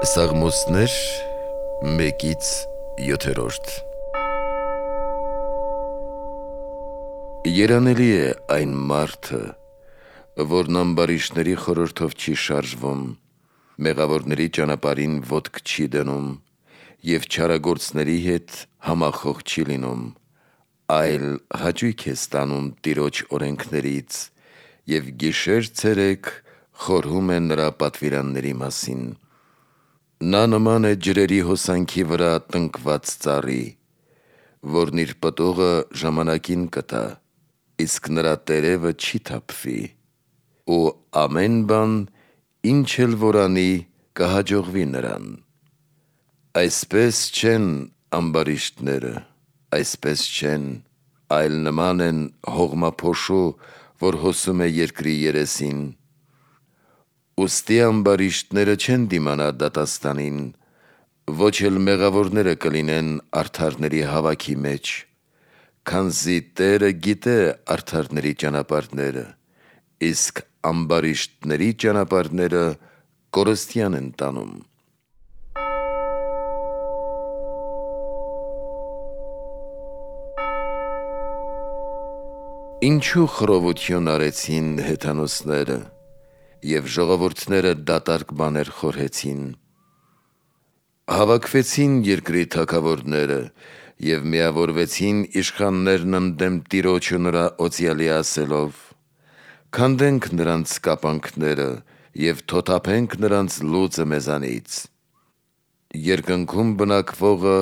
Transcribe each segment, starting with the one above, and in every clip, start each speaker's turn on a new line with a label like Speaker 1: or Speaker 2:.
Speaker 1: Սաղմոսներ 1-7 Երանելի է այն մարդը, որն ամբարիշտների խորհրդով չի շարժվում, մեղավորների ճանապարհին ոտք չի դնում և չարագործների հետ համախոհ չի լինում, այլ հաճույք է ստանում Տիրոջ օրենքներից և գիշեր-ցերեկ խորհում է նրա պատվիրանների մասին։ Նա նման է ջրերի հոսանքի վրա տնկված ծառի, որն իր պտուղը ժամանակին կտա, իսկ նրա տերևը չի թափվի, ու ամեն բան, ինչ էլ որ անի, կհաջողվի նրան։ Այսպես չեն ամբարիշտները, այսպես չեն, այլ նման են հողմափոշու, որ հոսում է երկրի երեսին։ Ուստի ամբարիշտները չեն դիմանա դատաստանին, ոչ էլ մեղավորները կլինեն արդարների հավաքի մեջ, քանզի Տերը գիտե արդարների ճանապարհները, իսկ ամբարիշտների ճանապարհները կորստյան են տանում։ Ինչու խռովություն արեցին հեթանոսները, և ժողովուրդները դատարկ բաներ խորհեցին։ Հավաքվեցին երկրի թագավորները և միավորվեցին իշխաններն ընդդեմ Տիրոջ ու նրա օծյալի ասելով. «Քանդենք նրանց կապանքները և թոթափենք նրանց լուծը մեզանից։ Երկնքում բնակվողը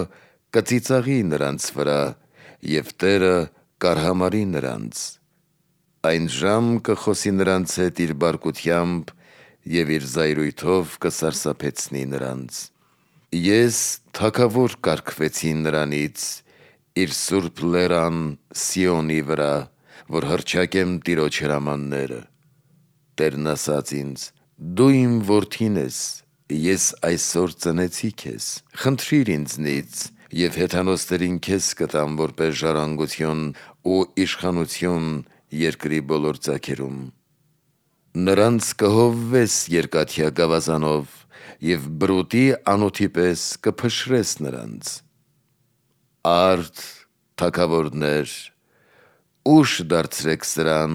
Speaker 1: կծիծաղի նրանց վրա, և Տերը կարհամարի նրանց։ Այն ժամ կխոսի նրանց հետ իր բարկությամբ և իր զայրույթով կսարսափեցնի նրանց։ Ես թագավոր կարգվեցի նրանից, իր սուրբ լերան Սիոնի վրա, որ հռչակեմ Տիրոջ հրամանները։ Տերն ասաց ինձ. «Դու իմ որդին ես, ես այսօր ծնեցի քեզ, խնդրիր ինձնից, և հեթանոսներին քեզ կտամ որպես ժառանգություն ու իշխանություն երկրի բոլոր ծագերում։ Նրանց կհովվես երկաթյա գավազանով և բրուտի անոթի պես կփշրես նրանց։ Արդ, թագավորներ, ուշ դարձրեք սրան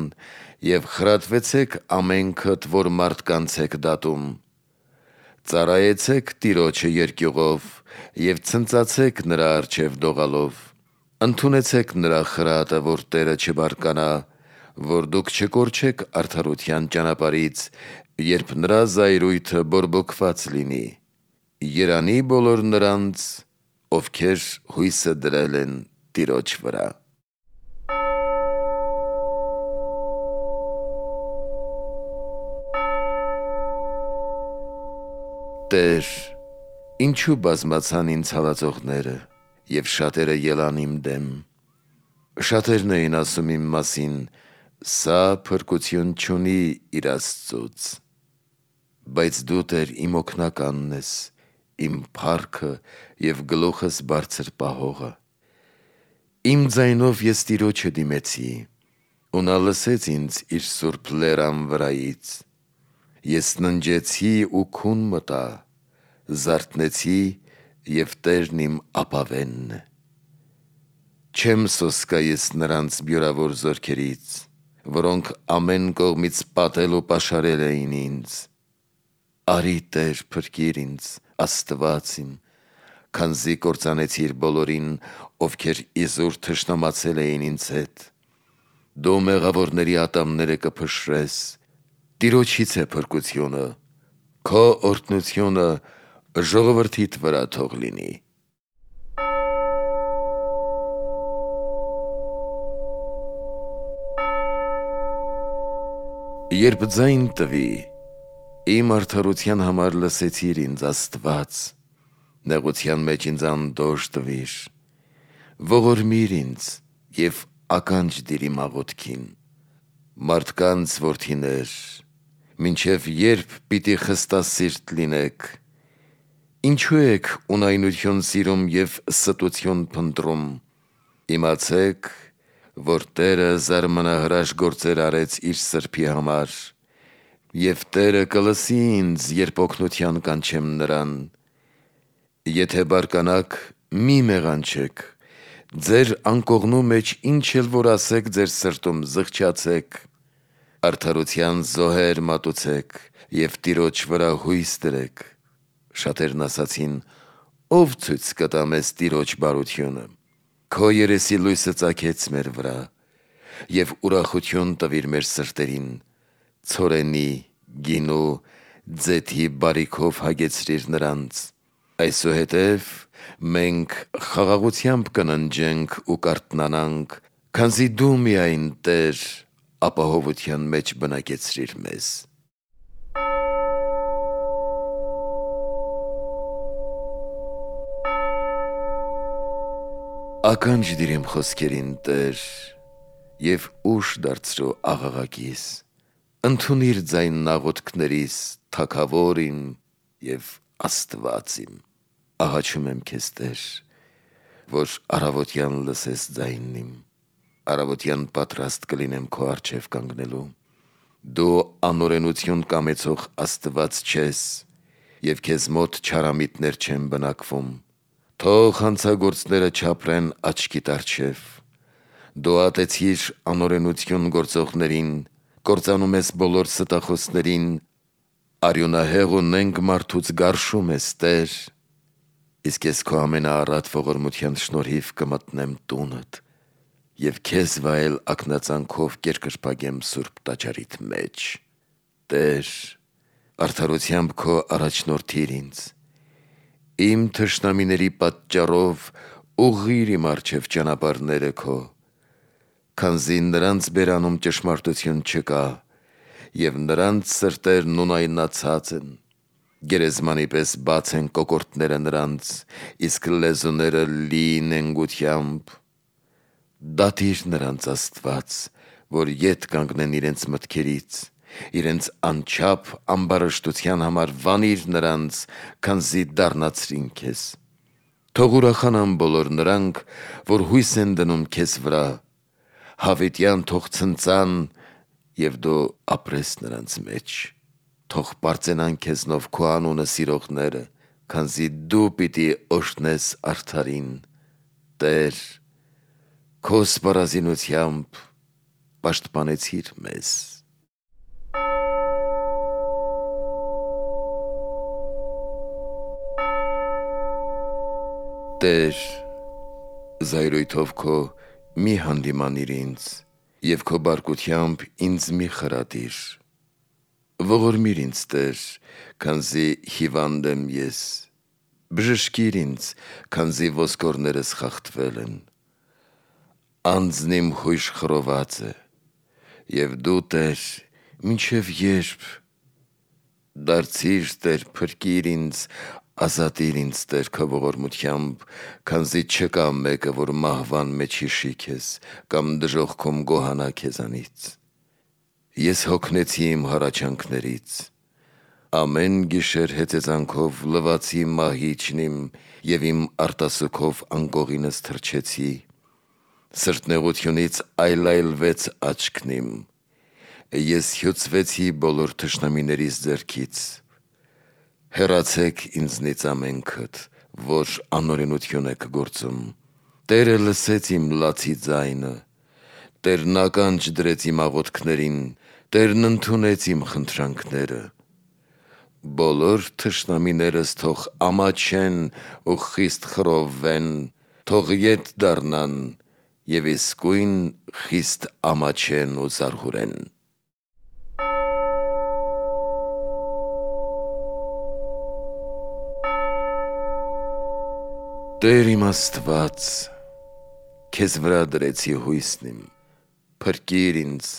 Speaker 1: և խրատվեցեք ամենքդ, որ մարդկանց եք դատում։ Ծառայեցեք Տիրոջը երկյուղով և ցնծացեք նրա առջև դողալով։ Ընդունեցեք նրա խրատը, որ Տերը չբարկանա, որ դուք չկորչեք արդարության ճանապարհից, երբ նրա զայրույթը բորբոքված լինի։ Երանի բոլոր նրանց, ովքեր հույսը դրել են Տիրոջ վրա»։ Տեր, ինչու բազմացան ինձ հալածողները, և շատերը ելան իմ դեմ։ Շատերն էին ասում իմ մասին. «Սա փրկություն չունի իր Աստծուց»։ Բայց դու, Տեր, իմ օգնականն ես, իմ փառքը և գլուխս բարձր պահողը։ Իմ ձայնով ես Տիրոջը դիմեցի, ու նա լսեց ինձ իր սուրբ լերան վրայից։ Ես ննջեցի ու քուն մտա, զարթնեցի, և Տերն իմ ապավենն է։ Չեմ սոսկա ես նրանց բյուրավոր զորքերից, որոնք ամեն կողմից պատել ու պաշարել էին ինձ։ Արի, Տեր, փրկիր ինձ, Աստված իմ, քանզի կործանեցիր բոլորին, ովքեր իզուր թշնամացել էին ինձ հետ։ Դու մեղավորների ատամները կփշրես։ Տիրոջից է փրկությունը, քո օրհնությունը ժողովրդիդ վրա թող լինի։ Երբ ձայն տվի, իմ արդարության համար լսեցիր ինձ, Աստված, նեղության մեջ ինձ անդորր տվիր։ Ողորմիր ինձ և ականջ դիր իմ աղոթքին։ Մարդկանց որդիներ, մինչև երբ պիտի խստասիրտ լինեք։ Ինչու եք ունայնություն սիրում և ստություն փնտրում։ Իմացեք, որ Տերը զարմանահրաշ գործեր արեց իր սրբի համար, Եվ Տերը կլսի ինձ, երբ օգնության կանչեմ նրան։ Եթե բարկանաք, մի մեղանչեք, ձեր անկողնու մեջ ինչ էլ որ ասեք, ձեր սրտում զղջացեք, արդարության զոհեր մատուցեք և Տիրոջ վրա հույս դրեք։ Շատերն ասացին. ով ցույց կտա մեզ Տիրոջ բարությունը։ Քո երեսի լույսը ծագեց մեր վրա, և ուրախություն տվիր մեր սրտերին, ցորենի, գինու, ձեթի բարիքով հագեցրիր նրանց։ Այսուհետև մենք խաղաղությամբ կննջենք ու կարթնանանք, քանզի դու միայն Տեր ապահովության մեջ բնակեցրիր մեզ։ Ականջ դիր իմ խոսքերին, Տեր, և ուշ դարձրու աղաղակիս։ Ընդունիր ձայնն աղոթքներիս, Թագավոր իմ և Աստված իմ։ Աղաչում եմ քեզ, Տեր, որ առավոտյան լսես ձայնն իմ։ Առավոտյան պատրաստ կլինեմ քո առջև կանգնելու։ Դու անօրենություն կամեցող Աստված չես, և քեզ մոտ չարամիտներ չեն բնակվում։ Թող հանցագործները չապրեն աչքիդ առջև։ Դու ատեցիր անօրենություն գործողներին, կործանում ես բոլոր ստախոսներին, արյունահեղ ու նենգ մարդուց գարշում ես, Տեր, իսկ ես քո ամենաառատ ողորմության շնորհիվ կմտնեմ տունդ և քեզ վայել ակնածանքով կերկրպագեմ սուրբ տաճարիդ մեջ։ Տեր, արդարությամբ քո առաջնորդիր ինձ։ Իմ թշնամիների պատճառով ուղղիր իմ առջև ճանապարհները քո, քանզի նրանց բերանում ճշմարտություն չկա, և նրանց սրտերն ունայնացած են։ Գերեզմանի պես բաց են կոկորդները նրանց, իսկ լեզուները լի նենգությամբ։ Դատիր նրանց, Աստված, որ ետ կանգնեն իրենց մտքերից, իրենց անչափ ամբարշտության համար վանիր նրանց, քանզի դառնացրին քեզ։ Թող ուրախանան բոլոր նրանք, որ հույս են դնում քեզ վրա, հավիտյան թող ցնծան, և դու ապրես նրանց մեջ։ Թող պարծենան քեզնով քո անունը սիրողները, քանզի դու պիտի օրհնես արդարին։ Տեր, քո սպառազինությամբ պաշտպանեցիր մեզ։ Տեր, զայրույթով քո մի հանդիմանիր ինձ, և քո բարկությամբ ինձ մի խրատիր։ Ողորմիր ինձ, Տեր, քանզի հիվանդ եմ ես, բժշկիր ինձ, քանզի ոսկորներս խախտվել են։ Անձն իմ հույժ խռոված է, և դու, Տեր, մինչև երբ։ Դարձիր, Տեր, փրկիր ինձ, ազատիր ինձ, Տեր, քո ողորմությամբ, քանզի չկա մեկը, որ մահվան մեջ հիշի քեզ, կամ դժոխքում գոհանա քեզանից։ Ես հոգնեցի իմ հառաչանքներից, ամեն գիշեր հեծեծանքով լվացի մահիճն իմ և իմ արտասուքով անկողինս թրջեցի։ Սրտնեղությունից այլայլվեց աչքն իմ, ես հյուծվեցի բոլոր թշնամիներիս ձեռքից։ Հեռացեք ինձնից ամենքդ, որ անօրենություն եք գործում։ Տերը լսեց իմ լացի ձայնը, Տերն ականջ դրեց իմ աղոթքներին, Տերն ընդունեց իմ խնդրանքները։ Բոլոր թշնամիներս թող ամաչեն ու խիստ խռովվեն, թող ետ դառնան և իսկույն խիստ ամաչեն ու զարհուրեն։ Տեր իմ Աստված, քեզ վրա դրեցի հույսն իմ, փրկիր ինձ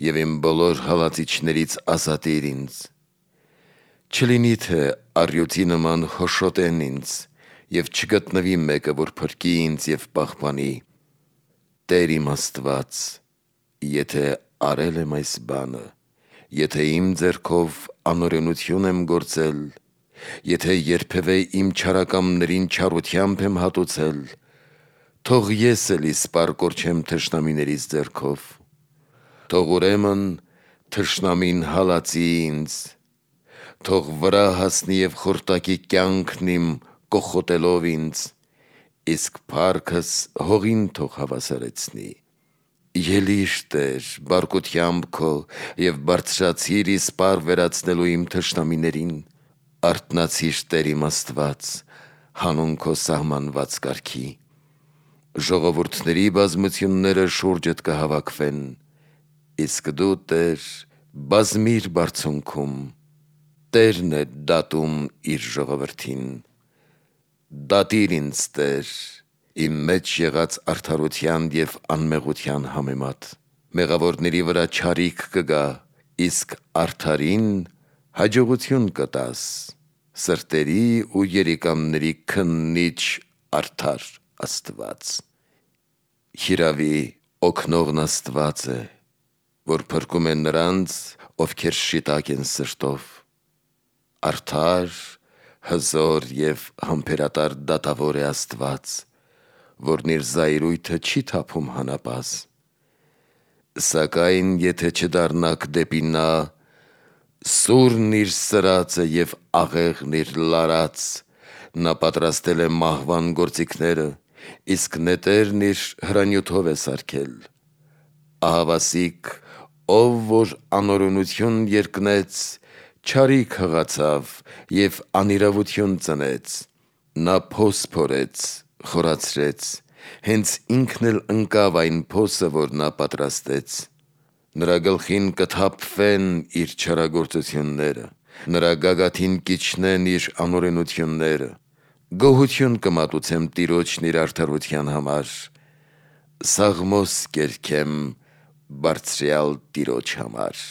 Speaker 1: և իմ բոլոր հալածիչներից ազատիր ինձ։ Չլինի թե առյուծի նման հոշոտեն ինձ, և չգտնվի մեկը, որ փրկի ինձ և պահպանի։ Տեր իմ Աստված, եթե արել եմ այս բանը, եթե իմ ձեռքով անօրենություն եմ գործել, եթե երբևէ իմ չարակամներին չարությամբ եմ հատուցել, թող ես էլ իսպառ կորչեմ թշնամիներիս ձեռքով։ Թող ուրեմն թշնամին հալածի ինձ, թող վրա հասնի և խորտակի կյանքն իմ կոխոտելով ինձ, իսկ փառքս հողին թող հավասարեցնի։ Ելիր Տեր բարկությամբ քո և բարձրացիր իսպառ վերացնելու իմ թշնամիներին, արթնացիր Տեր իմ Աստված հանուն քո սահմանված կարգի։ Ժողովուրդների բազմությունները շուրջդ կհավաքվեն, իսկ դու Տեր բազմիր բարձունքում, Տերն է դատում իր ժողովրդին։ Դատիր ինձ Տեր իմ մեջ եղած արդարության և անմեղության համեմատ, մեղավորների վրա չարիք կգա, իսկ արդարին հաջողություն կտաս, սրտերի ու երիկամների քննիչ արդար Աստված։ Հիրավի օգնողն Աստված է, որ փրկում է նրանց, ովքեր շիտակ են սրտով, արդար, հզոր և համբերատար դատավոր է Աստված, որն իր զայրույթը չի թափում հանապազ։ Սակայն եթե չդառնաք դեպի նա, սուրն իր սրածը և աղեղն իր լարած, նա պատրաստել է մահվան գործիքները, իսկ նետերն իր հրանյութով է սարքել։ Ահավասիկ, ով որ անօրենություն երկնեց, չարիք հղացավ և անիրավություն ծնեց։ Նա փոս փորեց, խորացրեց, հենց ինքն էլ ընկավ այն փոսը, որ նա պատրաստեց։ Նրա գլխին կթափվեն իր չարագործությունները, նրա գագաթին կիջնեն իր անօրենությունները։ Գոհություն կմատուցեմ Տիրոջն իր արդարության համար, սաղմոս կերքեմ Բարձրյալ Տիրոջ համար։